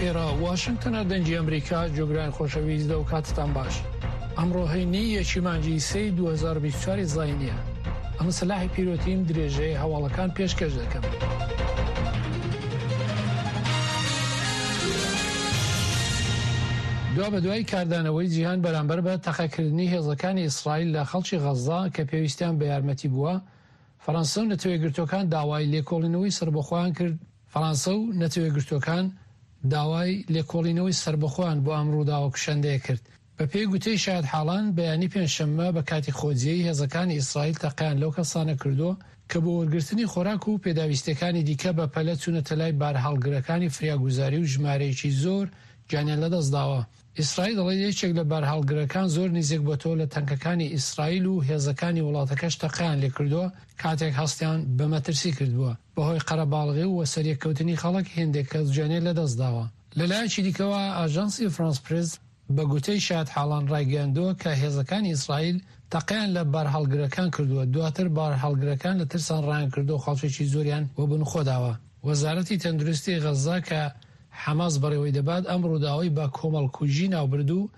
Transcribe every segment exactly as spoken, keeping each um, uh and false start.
ئێرە واشنگتنە، دەنگی ئەمریکا. جۆگران خۆشەویست، دە و کاتتان باش. ئەمڕۆ هەینی یەکی مانگی سێی دوو هەزار و بیست و چوار زاینیە. ئەمە سەلاحی پیرۆتیم، درێژەی هەواڵەکان پێشکەش دەکەم. دوا بە دوای کاردانەوەی جیهان بەرامبەر بە تەقەکردنی هێزەکانی ئیسرائیل لە خەڵکی غەززە کە پێویستیان بە یارمەتی بووە، فەرەنسا و نەتەوەیەکگرتووەکان داوای لێکۆڵینەوەی سەربەخۆیان کرد. فەرەنسا و نەتەوەیەکگرتووەکان داوای لێکۆڵینەوەی سەربەخۆیان بۆ ئەم ڕووداوە کوشندەیە کرد. بە پێی گوتەی شایەتحاڵان، بەیانی پێنجشەممە بە کاتی خۆجێی هێزەکانی ئیسرائیل تەقەیان لەو کەسانە کردووە کە بۆ وەرگرتنی خۆراک و پێداویستیەکانی دیکە بە پەلە چوونەتە لای بارهەڵگرەکانی فریاگوزاری و ژمارەیەکی زۆر گیانیان لەدەستداوە. ئیسرائیل دەڵێت یەکێک لە بارهەڵگرەکان زۆر نزیک بۆتەوە لە تەنکەکانی ئیسرائیل و هێزەکانی وڵاتەکەش تەقەیان لێکردووە کاتێک هەستیان بە مەترسی کردبووە. بەهۆی قەرەباڵغی و وەسەریەککەوتنی خەڵک هێندێک کەس گیانیان لەدەستداوە. لەلایەکی دیکەوە ئاژانسی فرانس پرێس بە گوتەی شایەتحاڵان ڕایگەیاندووە کە هێزەکانی ئیسرائیل تەقەیان لە بارهەڵگرەکان کردووە، دواتر بارهەڵگرەکان لە ترسان ڕایان کردووە خەڵکێکی زۆریان وەبن خۆداوە. وەزارەتی تەندروستی غەززە کە حەماس بەڕێوەی دەبات ئەم ڕووداوەی بە کۆمەڵکوژی ناوبرد و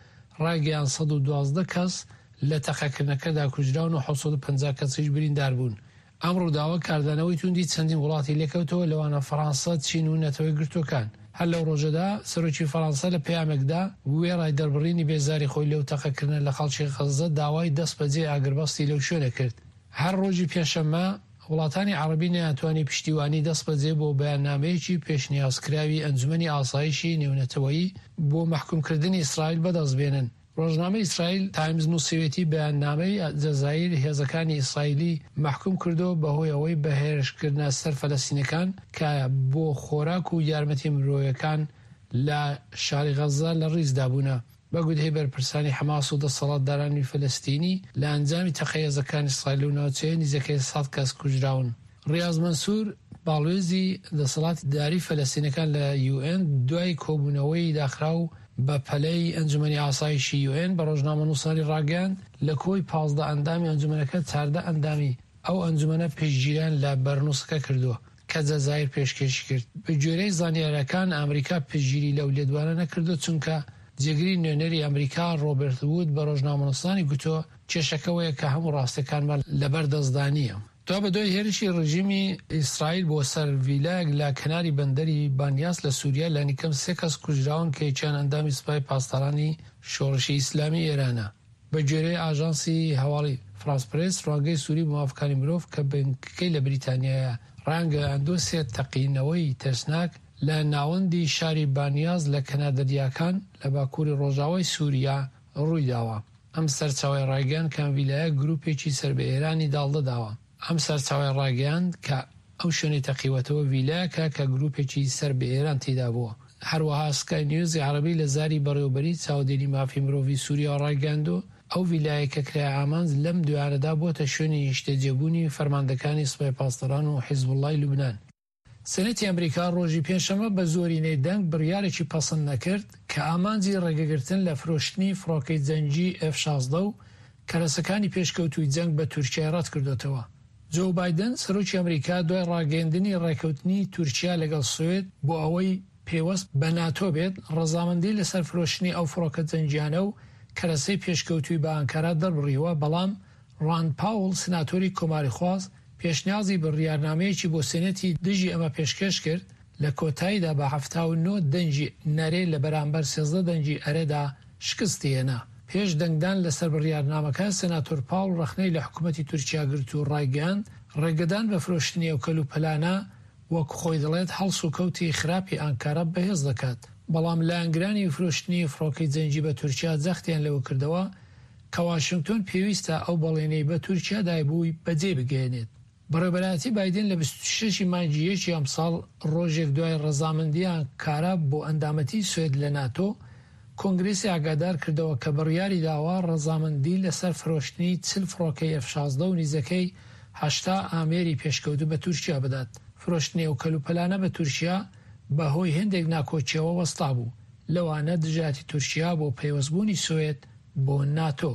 ڕایگەیاند سەد و دوازدە کەس لە تەقەکردنەکەدا کوژراون و حەوت سەد و پەنجا کەسیش بریندار بوون. ئەم ڕووداوە کاردانەوەی توندی چەندین وڵاتی لێکەوتەوە، لەوانە فەرەنسا، چین و نەتەوەیەکگرتووەکان. هەر لەو ڕۆژەدا سەرۆکی فەرەنسا لە پەیامێکدا وێڕای دەربڕینی بێزاری خۆی لەو تەقەکردنە لە خەڵکی غەززە داوای دەستبەجێ ئاگربەستی لەو شوێنە کرد. هەر ڕۆژی پێنجشەممە وڵاتانی عەرەبی نەیانتوانی پشتیوانی دەستبەجێ بۆ بەیاننامەیەکی پێشنیازکراوی ئەنجومەنی ئاسایشی نێونەتەوەیی بۆ مەحکومکردنی ئیسرائیل بەدەست بێنن. ڕۆژنامەی ئیسرائیل تایمز نووسیوێتی بەیاننامەی جەزائیر هێزەکانی ئیسرائیلی مەحکوم کردەوە بەهۆی ئەوەی بە هێرشکردنە سەر فەلەستینەکان کە بۆ خۆراک و یارمەتی مرۆیەکان لە شاری غەززە لە ڕیزدا بوونە. بە گوتەی بەرپرسانی حەماس و دەسەڵاتدارانی فەلەستینی لە ئەنجامی تەقەی هێزەکانی ئیسرائیل لەو ناوچەیە نزیکەی سەد کەس کوژراون. ڕیاز مەنسوور باڵوێزی دەسەڵاتداری فەلەستینەکان لە یوئێن دوای کۆبوونەوەی داخراو بە پەلەی ئەنجومەنی ئاسایشی یوئێن بە ڕۆژنامەنووسانی ڕاگەیاند لە کۆی پازدە ئەندامی ئەنجومەنەکە چاردە ئەندامی ئەو ئەنجومەنە پشتگیریان لە بەرنووسەکە کردووە کە جەزائیر پێشکێشی کرد. بە گوێرەی زانیاریەکان ئەمریکا پشتگیری لەو لێدوانە نەکردووە، چونکە جێگری نوێنەری ئەمریکا ڕۆبەرت وود بە ڕۆژنامەنووسانی گوتووە کێشەکەوەیە کە هەموو ڕاستیەکانمان لەبەر دەستدا نییە. دوابەدوای هێرشی ڕژیمی ئیسرائیل بۆ سەر ڤیلایەک لە کەناری بەندەری بانیاس لە سوریا، لانیکەم سێ کەس کوژراون کە یەکیان ئەندامی سوپای پاسدارانی شۆڕشی ئیسلامی ئێرانە. بە گوێرەی ئاژانسی هەواڵی فرانس پرێس، ڕوانگەی سوری بۆ مافەکانی مرۆڤ کە بنکەکەی لە بریتانیایە ڕایانگەیاندووە سێ تەقینەوەی ترسناک لە ناوەندی شاری بانیاس لە کەنار دەریاکان لە باکووری ڕۆژاوای سوریا ڕوویداوە. ئەم سەرچاوەی ڕایگەیاند کە ئەم ڤیلایە گروپێکی سەر بە ئێرانی داڵدەداوە. ئەم سەرچاوەی ڕاگەیاند کە ئەو شوێنەی تەقیوەتەوە ڤیلایەکە کە گروپێکی سەر بە ئێران تێیدا بووە. هەروەها سکای نیوزی عەرەبی لە زاری بەڕێوەبەری چاودێری مافی مرۆڤی سوریا ڕایگەیاندووە ئەو ڤیلایە کە کرایە ئامانج لەم دوایانەدا بووەتە شوێنی نیشتەجێبوونی فەرماندەکانی سوپای پاسداران و حیزبوڵڵای لوبنان. سێنەتی ئەمریکا ڕۆژی پێنجشەممە بە زۆرینەی دەنگ بڕیارێکی پەسەند نەکرد کە ئامانجی ڕێگەگرتن لە فرۆشتنی فڕۆکەی جەنگی ئێف شازدە و کەرەسەکانی پێشکەوتووی جەنگ بە تورکیای ڕەتکردۆتەوە. جۆ بایدن سەرۆکی ئەمریکا دوای ڕاگەیەندنی ڕێکەوتنی تورکیا لەگەڵ سوێد بۆ ئەوەی پێوەست بە ناتۆ بێت، ڕەزامەندی لەسەر فرۆشتنی ئەو فڕۆکە جەنگیانە و کەرەسەی پێشکەوتووی بە ئانکارا دەربڕیوە، بەڵام ڕاند پاوڵ سناتۆری کۆماریخواز پێشنیازی بڕیارنامەیەکی بۆ سێنەتی دژی ئەمە پێشکێش کرد، لە کۆتاییدا بە حەفتا و نۆ دەنگی نەرێ لە بەرامبەر سێزدە دەنگی ئەرێدا شکستی هێنا. پێش دەنگدان لەسەر بڕیارنامەکە، سێناتۆر پاوڵ ڕەخنەی لە حکوومەتی تورکیا گرت و ڕایگەیاند ڕێگەدان بە فرۆشتنی ئەو کەلوپەلانە وەک خۆی دەڵێت هەڵس و کەوتی خراپی ئانکارا بەهێز دەکات. بەڵام لایەنگرانی فرۆشتنی فڕۆکەی جەنگی بە تورکیا جەختیان لەوە کردەوە کە واشنگتۆن پێویستە ئەو بەڵێنەی بە تورکیا دایبووی بەجێ بگەیەنێت. بەڕێوەبەرایەتی بایدن لە بیست و شەش مانگی یەکی ئەمساڵ ڕۆژێک دوای ڕەزامەندی ئانکارا بۆ ئەندامەتی سوێد لە ناتۆ، کۆنگرێسی ئاگادار کردەوە کە بڕیاری داوە ڕەزامەندی لەسەر فرۆشتنی چل فڕۆکەی ئێف شازدە و نزیکەی هەشتا ئامێری پێشکەوتوو بە تورکیا بدات. فرۆشتنی ئەو کەلوپەلانە بە تورکیا بەهۆی هێندێک ناکۆکیەوە وەستا بوو، لەوانە دژایەتی تورکیا بۆ پەیوەستبوونی سوێد بۆ ناتۆ.